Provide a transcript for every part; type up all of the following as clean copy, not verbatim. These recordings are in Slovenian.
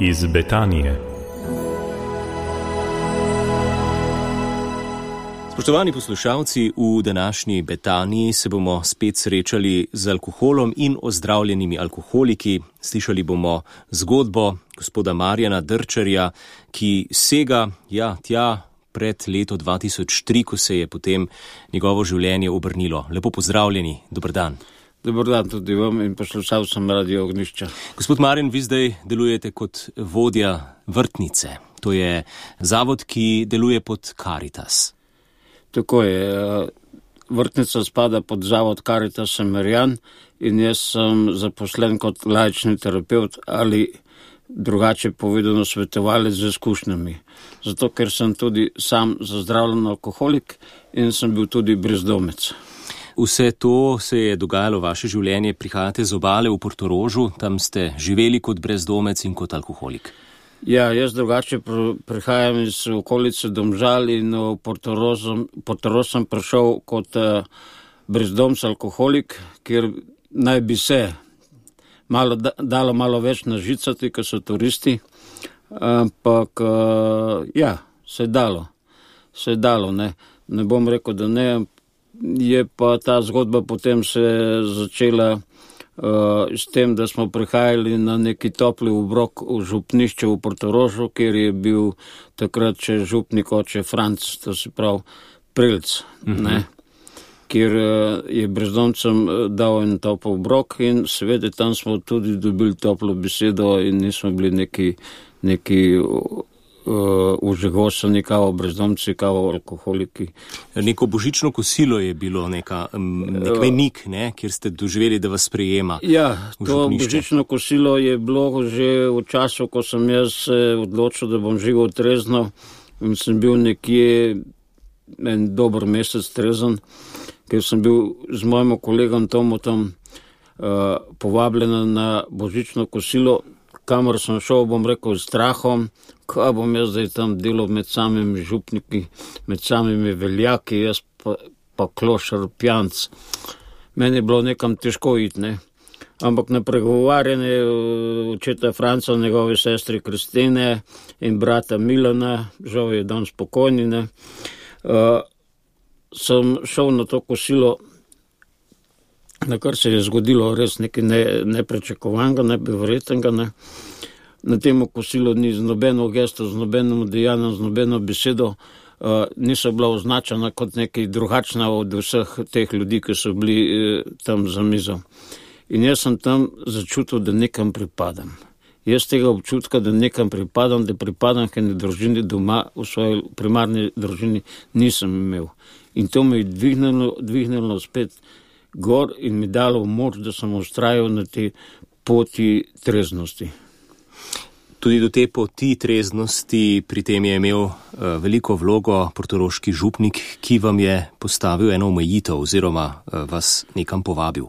iz Betanije. Spoštovani poslušalci, v današnji Betaniji se bomo spet srečali z alkoholom in ozdravljenimi alkoholiki. Slišali bomo zgodbo gospoda Marjana Drčarja, ki sega tja pred leto 2003, ko se je potem njegovo življenje obrnilo. Lepo pozdravljeni, dober dan. Dobar dan tudi vam in poslušalcem Radio Ognjišča. Gospod Marjan, vi zdaj delujete kot vodja vrtnice. To je zavod, ki deluje pod Caritas. Tako je. Vrtnica spada pod zavod Caritas Semerjan in jaz sem zaposlen kot laični terapeut ali drugače povedano svetovalec z izkušnjami. Zato, ker sem tudi sam zazdravljen alkoholik in sem bil tudi brezdomec. Vse to se je dogajalo vaše življenje, prihajate z obale v Portorožu, tam ste živeli kot brezdomec in kot alkoholik. Ja, jaz drugače prihajam iz okolice Domžal in v Portorož sem prišel kot brezdomc alkoholik, kjer naj bi se dalo malo več nažicati, ker so turisti, ampak se je dalo, ne bom rekel, da ne. Je pa ta zgodba potem se začela s tem, da smo prihajali na neki topli obrok v župnišče v Portorožu, kjer je bil takrat še župnik oče Franc, to se pravi Prelc, kjer je brezdomcem dal en topel obrok in seveda tam smo tudi dobili toplo besedo in nismo bili neki užigosani kao brezdomci, kao alkoholiki. Neko božično kosilo je bilo, nek mejnik, kjer ste doživeli, da vas sprejema. Ja, to božično kosilo je bilo že v času, ko sem jaz odločil, da bom živel trezno in sem bil nekje en dober mesec trezen, ker sem bil z mojim kolegom Tomotom povabljen na božično kosilo, kamor sem šel, bom rekel, s strahom, kaj bom jaz zdaj tam delal med samimi župniki, med samimi veljaki, jaz pa klošar pijanc. Meni je bilo nekam težko iti, Ampak na pregovarjanje očeta Franca, njegove sestre Kristine in brata Milana, žal je dan spokojni, sem šel na to kosilo, na kar se je zgodilo res nekaj neprečakovanega, nebeverjetnega. Na tem kosilu ni z nobeno gesto, z nobeno dejanjem, z nobeno besedo, niso bila označena kot nekaj drugačna od vseh teh ljudi, ki so bili tam za mizo. In jaz sem tam začutil, da nekam pripadam. Jaz tega občutka, da nekam pripadam, da pripadam k eni družini doma, v svoji primarni družini, nisem imel. In to me je dvignilo spet gor in mi dalo moč, da sem ustrajal na te poti treznosti. Tudi do te poti treznosti pri tem je imel veliko vlogo portoroški župnik, ki vam je postavil eno omejitev oziroma vas nekam povabil.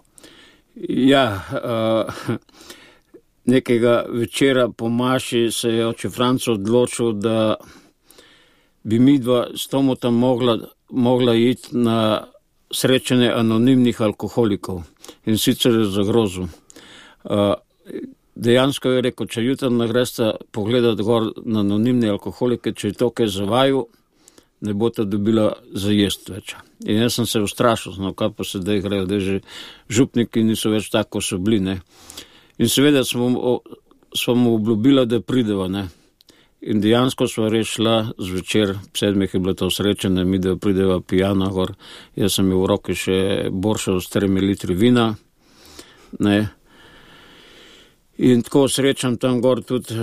Ja, nekega večera po maši se je oče Franco odločil, da bi midva s Tomotom mogla iti na srečanje anonimnih alkoholikov in sicer je zagrozil. Dejansko je rekel, če jutri nagresta pogledati gor na anonimne alkoholike, če je to kaj zavaju, ne boste dobila za jest več. In jaz sem se ustrašil, kaj pa se daj grejo, da že župniki niso več tako, so bili, In seveda smo mu obljubila, da prideva, In dejansko smo res šla zvečer, 7 je bilo to srečanje, mi da prideva pijana gor, jaz sem imel v roki še boršo s 3 litri vina, In tako srečam tam gor tudi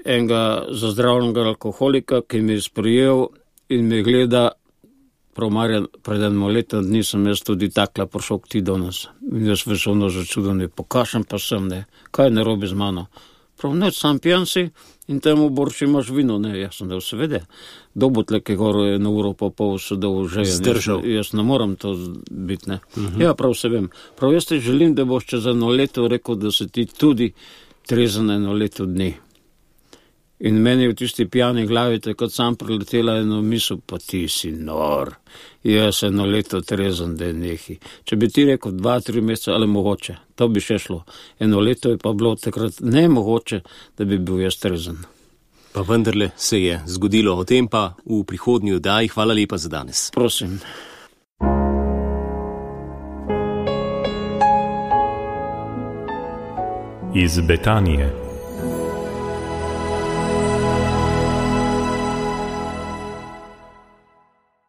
enega zazdravljenega alkoholika, ki mi je sprejel in me gleda, prav Marjan, pred enim letom dni sem jaz tudi takla prišel k ti do nas. In jaz veselno začudan, pokašem pa sem, kaj je narobe z mano. Prav, sam pijan si in temu borši imaš vino, jaz sem da seveda. Dobotleke gor je na uro pa pol sedel že. Zdržal. Jaz ne moram to biti, Ja, prav se vem. Prav jaz te želim, da boš čez 1 leto rekel, da se ti tudi trezen 1 leto dni. In meni v tisti pijani glavi takrat sam priletela eno misel, pa ti si nor. Jaz 1 leto trezen, da je nehi. Če bi ti rekel 2-3 mesece, ali mogoče, to bi še šlo. 1 leto je pa bilo takrat nemogoče, da bi bil jaz trezen. Pa vendarle se je zgodilo, o tem pa v prihodnji oddaji. Hvala lepa za danes. Prosim. Iz Betanije